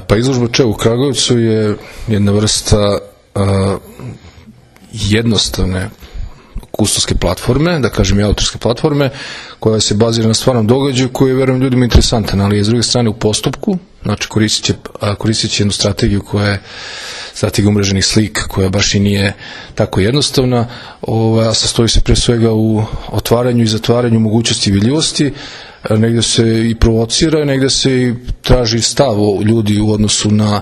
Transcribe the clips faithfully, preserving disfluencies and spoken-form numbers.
Pa izložba Če u Kragujevcu je jedna vrsta a, jednostavne kustovske platforme, da kažem i autorske platforme, koja se bazira na stvarnom događaju koji je, verujem, ljudima interesantan, ali je s druge strane u postupku, znači koristit će, koristit će jednu strategiju koja je strategija umreženih slika, koja baš i nije tako jednostavna, a sastoji se pre svega u otvaranju i zatvaranju mogućnosti i vidljivosti, negde se i provocira, negde se i traži stav ljudi u odnosu na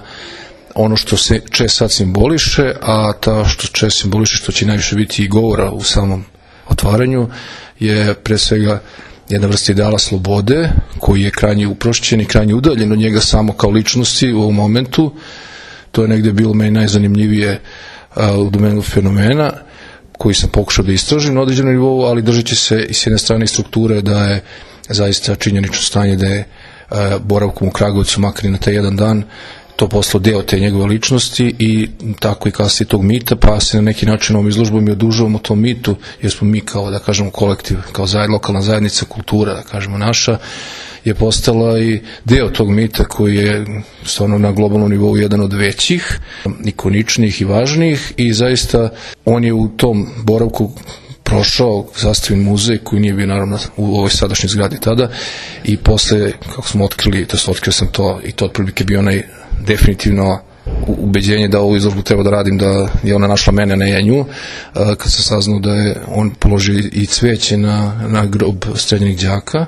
ono što se Če sad simboliše, a ta što Če simboliše, što će najviše biti i govora u samom otvaranju, je pre svega jedna vrsta ideala slobode, koji je krajnje uprošćen i krajnje udaljen od njega samo kao ličnosti u ovom momentu. To je negde bilo meni najzanimljivije a, u domenu fenomena, koji sam pokušao da istražim na određenom nivou, ali držeći se i s jedne strane strukture da je zaista činjenično stanje da je a, boravkom u Kragujevcu, makar i na taj jedan dan, to postalo deo te njegove ličnosti i tako i kasnije tog mita, pa se na neki način ovom izložbom i odužavamo tom mitu, jer smo mi kao, da kažemo, kolektiv, kao zajed, lokalna zajednica, kultura, da kažemo, naša, je postala i deo tog mita koji je stvarno na globalnom nivou jedan od većih, ikoničnih i važnijih, i zaista on je u tom boravku prošao sastavljen muzej koji nije bio naravno u ovoj sadašnjoj zgradi tada, i posle, kako smo otkrili, to otkrio sam to, i to otprilike bio onaj definitivno ubeđenje da ovu izložbu treba da radim, da je ona našla mene, ne ja nju, kad sam saznao da je on položio i cveće na, na grob stradalih đaka.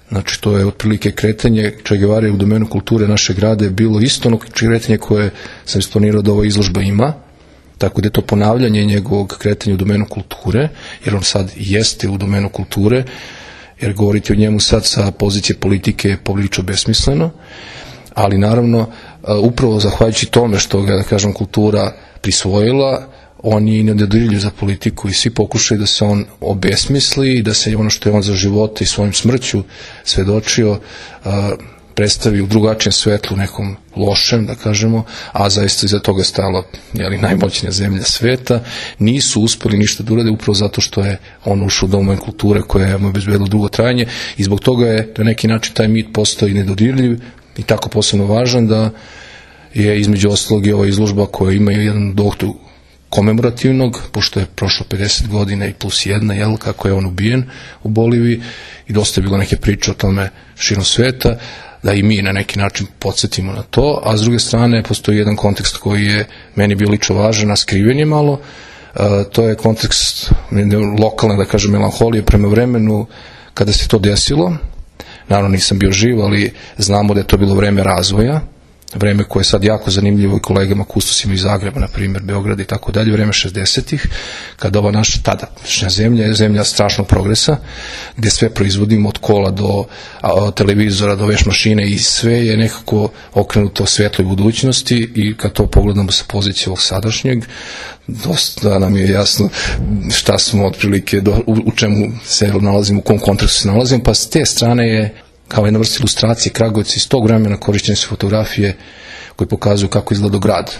Znači, to je otprilike kretanje Če Gevare u domenu kulture našeg grada je bilo isto ono kretanje koje sam isplanirao da ova izložba ima, tako da je to ponavljanje njegovog kretanja u domenu kulture, jer on sad jeste u domenu kulture, jer govoriti o njemu sad sa pozicije politike je poprilično besmisleno, ali naravno, upravo zahvaljujući tome što ga, da kažem, kultura prisvojila, on je i nedodirljiv za politiku i svi pokušaju da se on obesmisli i da se ono što je on za života i svojim smrću svedočio predstavi u drugačijem svetlu, nekom lošem, da kažemo, a zaista iza toga stala jeli, najmoćnija zemlja sveta. Nisu uspeli ništa da urade upravo zato što je on ušao u domen kulture koja je mu obezbedila dugo trajanje, i zbog toga je na neki način taj mit postao i nedodirljiv i tako posebno važan da je između ostalog i ova izložba koja ima jedan doktor komemorativnog, pošto je prošlo pedeset godina i plus jedna, jel, kako je on ubijen u Boliviji, i dosta je bilo neke priče o tome širom sveta, da i mi na neki način podsjetimo na to, a s druge strane postoji jedan kontekst koji je meni bio lično važan, a skriven je malo, a, to je kontekst lokalne, da kažem, melanholije prema vremenu kada se to desilo. Naravno nisam bio živ, ali znamo da je to bilo vreme razvoja, vreme koje je sad jako zanimljivo i kolegama kustosima iz Zagreba, na primjer Beograd i tako dalje, vreme šezdesetih, kada ova naša tadašnja zemlja je zemlja strašnog progresa, gde sve proizvodimo od kola do a, televizora, do veš mašine, i sve je nekako okrenuto svetloj budućnosti, i kad to pogledamo sa pozicije ovog sadašnjeg, dosta nam je jasno šta smo otprilike, do, u, u čemu se nalazimo, u kom kontekstu se nalazimo, pa s te strane je kao jedna vrsta ilustracije Kragujevca iz tog vremena korišćene su fotografije koje pokazuju kako izgledao grad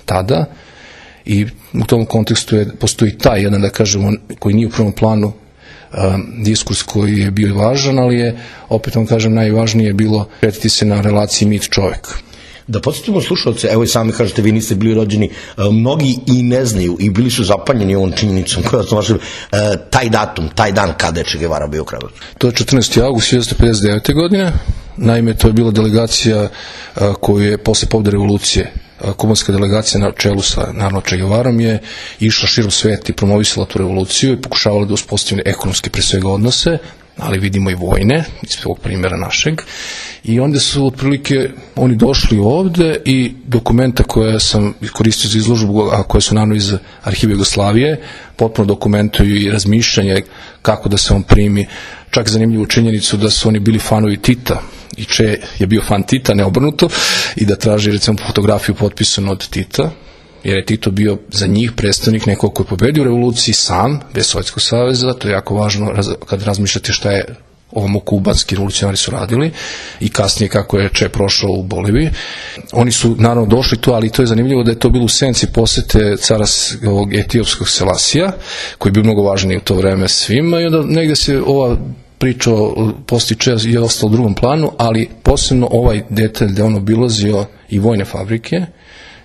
tada, i u tom kontekstu je, postoji taj jedan, da kažemo, koji nije u prvom planu um, diskurs koji je bio važan, ali je, opet vam kažem, najvažnije bilo kretiti se na relaciji mit čovek. Da podsjetimo slušalce, evo i sami kažete, vi niste bili rođeni, mnogi i ne znaju i bili su zapanjeni ovom činjenicom koja sam vašem, taj datum, taj dan kada je Če Gevara bio u Kragujevcu. To je četrnaesti avgust hiljadu devetsto pedeset devete. godine, naime to je bila delegacija koju je posle pobede revolucije, kubanska delegacija na čelu sa naravno Če Gevarom je išla širom sveta i promovisala tu revoluciju i pokušavala da uspostavi ekonomske pre svega odnose, ali vidimo i vojne, iz ovog primjera našeg, i onda su otprilike oni došli ovde i dokumenta koje sam koristio za izložbu, a koje su naravno iz arhiva Jugoslavije, potpuno dokumentuju i razmišljanje kako da se on primi, čak zanimljivu činjenicu da su oni bili fanovi Tita, i Če je bio fan Tita, ne obrnuto, i da traži recimo fotografiju potpisanu od Tita, jer je Tito bio za njih predstavnik nekog koji je pobedio u revoluciji sam, bez Sovjetskog saveza. To je jako važno kad razmišljate šta je ovom kubanski revolucionari su radili i kasnije kako je Če prošao u Boliviji. Oni su naravno došli tu, ali to je zanimljivo da je to bilo u senci posete cara ovog etiopskog Selasija, koji je bio mnogo važniji u to vreme svima, i onda negde se ova priča o postiče je ostalo u drugom planu, ali posebno ovaj detalj da on obilazio i vojne fabrike,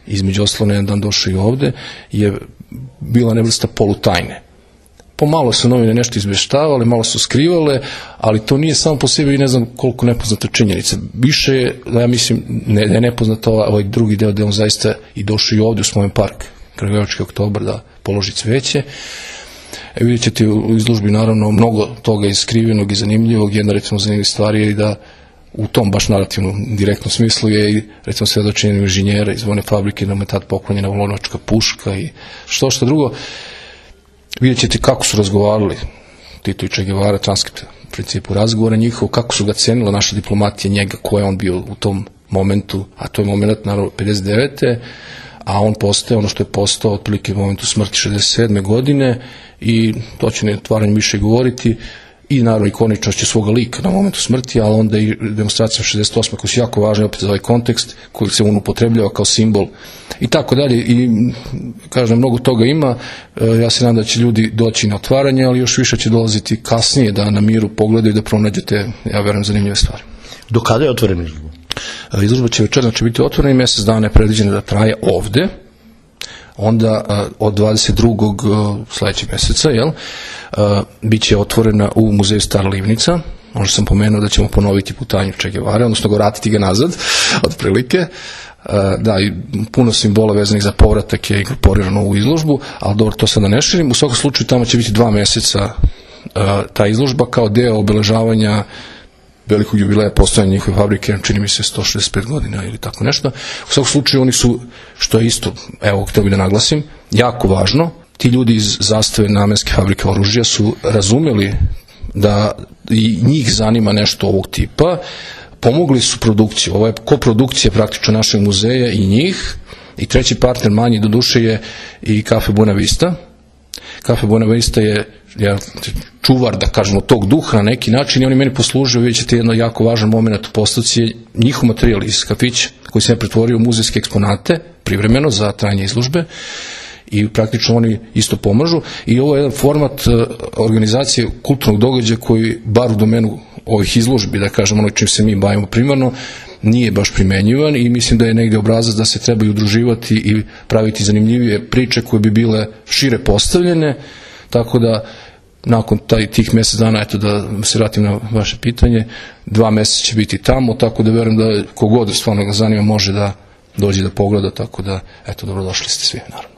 između ostalo jedan dan došao i ovde, je bila nevrsta polutajne. Pomalo su novine nešto izveštavale, malo su skrivale, ali to nije samo po sebi i ne znam koliko nepoznata činjenica. Više je, da ja mislim, ne, je nepoznata ovaj drugi deo gde on zaista i došao i ovde u Spomen park, Kragujevački oktobar, da položi cveće. E, vidjet ćete u izložbi naravno mnogo toga iskrivenog i zanimljivog. Jedna recimo zanimljiva stvar je i da u tom baš narativnom direktnom smislu je i recimo svedočenje inženjera iz vojne fabrike da mu je tad poklonjena lovačka puška i što što drugo. Vidjet ćete kako su razgovarali Tito i Che Guevara, transkript u principu razgovora njihov, kako su ga cenila naša diplomatija njega, ko je on bio u tom momentu, a to je moment naravno pedeset devete a on postaje ono što je postao otprilike u momentu smrti šezdeset sedme godine i to će neotvaranje više govoriti i naravno ikoničnošću svoga lika na momentu smrti, ali onda i demonstracija šezdeset osme koji su jako važni opet za ovaj kontekst koji se on upotrebljava kao simbol i tako dalje i kažem mnogo toga ima, ja se nadam da će ljudi doći na otvaranje, ali još više će dolaziti kasnije da na miru pogledaju da pronađete, ja verujem, zanimljive stvari. Do kada je otvorena izložba? Izložba će večer, znači biti otvorena i mjesec dana je predviđeno da traje ovde, onda od dvadeset drugog sledećeg meseca, jel, bit će otvorena u muzeju Stara Livnica. Možda sam pomenuo da ćemo ponoviti putanju Che Guevare, odnosno vratiti ga nazad, otprilike. Da, i puno simbola vezanih za povratak je inkorporirano u izložbu, ali dobro, to sad da ne širim. U svakom slučaju tamo će biti dva meseca ta izložba kao deo obeležavanja velikog jubileja postojanja njihove fabrike, čini mi se sto šezdeset pet godina ili tako nešto. U svakom slučaju oni su, što je isto, evo, htio bih da naglasim, jako važno, ti ljudi iz Zastave namenske fabrike oružja su razumeli da i njih zanima nešto ovog tipa, pomogli su produkciju, ovo je koprodukcija praktično našeg muzeja i njih, i treći partner manji do duše je i Cafe Buena Vista. Cafe Buena Vista je ja, čuvar, da kažemo, tog duha na neki način i oni meni poslužuju, vidjet ćete jedno jako važan moment u postavci je njihov materijal iz kafića koji se ne pretvorio u muzejske eksponate privremeno za trajanje izložbe i praktično oni isto pomažu i ovo je jedan format organizacije kulturnog događaja koji bar u domenu ovih izložbi, da kažemo ono čim se mi bavimo primarno, nije baš primenjivan i mislim da je negde obrazac da se trebaju udruživati i praviti zanimljivije priče koje bi bile šire postavljene, tako da nakon taj, tih mjesec dana, eto da se vratim na vaše pitanje, dva mjeseca će biti tamo, tako da verujem da kogod stvarno ga zanima može da dođe da pogleda, tako da eto dobrodošli ste svi, naravno.